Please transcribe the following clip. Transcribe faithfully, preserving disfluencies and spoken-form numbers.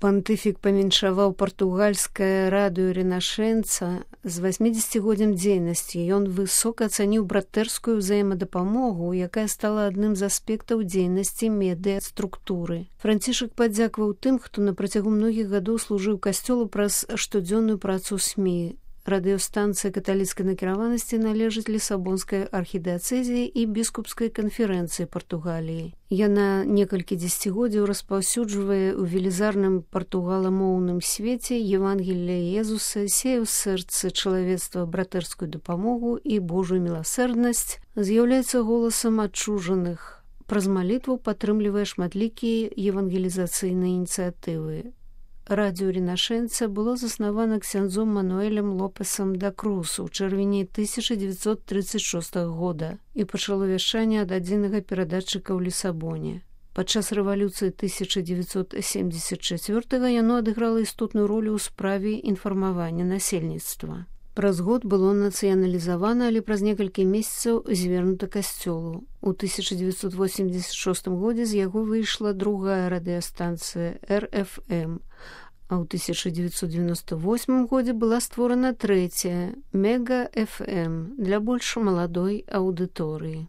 Пантыфік павіншаваў партугальскае радыё «Ренашэнца» з васьмідзесяцігоддзям дзейнасці. Ён высока ацаніў братэрскую ўзаемадапамогу, якая стала адным з аспектаў дзейнасці медыа-структуры. Францішак падзякаваў тым, хто на працягу многіх гадоў служыў касцёлу праз штодзённую працу СМІ. Радыёстанцыя каталіцкай накіраванасці належыць Лісабонскай архідыяцэзіі і біскупскай канферэнцыі Партугаліі. Яна некалькі дзесяцігоддзяў распаўсюджвае ў велізарным партугаламоўным свеце Евангелія Езуса, сее ў сэрцы чалавецтва братэрскую дапамогу і Божую міласэрнасць, з'яўляецца голасам адчужаных. Праз малітву падтрымлівае шматлікія евангелізацыйныя ініцыятывы. Радыё «Ренашэнца» было заснавана ксяндзом Мануэлем Лопесам да Крус у чэрвені тысяча дзевяцьсот трыццаць шостага года і пачало вяшчанне ад адзінага перадатчыка ў Лісабоне. Падчас рэвалюцыі тысяча дзевяцьсот семдзесят чацвёртага яно адыграла істотную ролю ў справе інфармавання насельніцтва. Праз год было нацыяналізавана, але праз некалькі месяцаў звернута касцёлу. У тысяча дзевяцьсот восемьдесят шостым годзе з яго выйшла другая радыёстанцыя эр эф эм, а ў тысяча дзевяцьсот дзевяносто восьмым годзе была створана трэцяя мега эф эм для больш маладой аўдыторыі.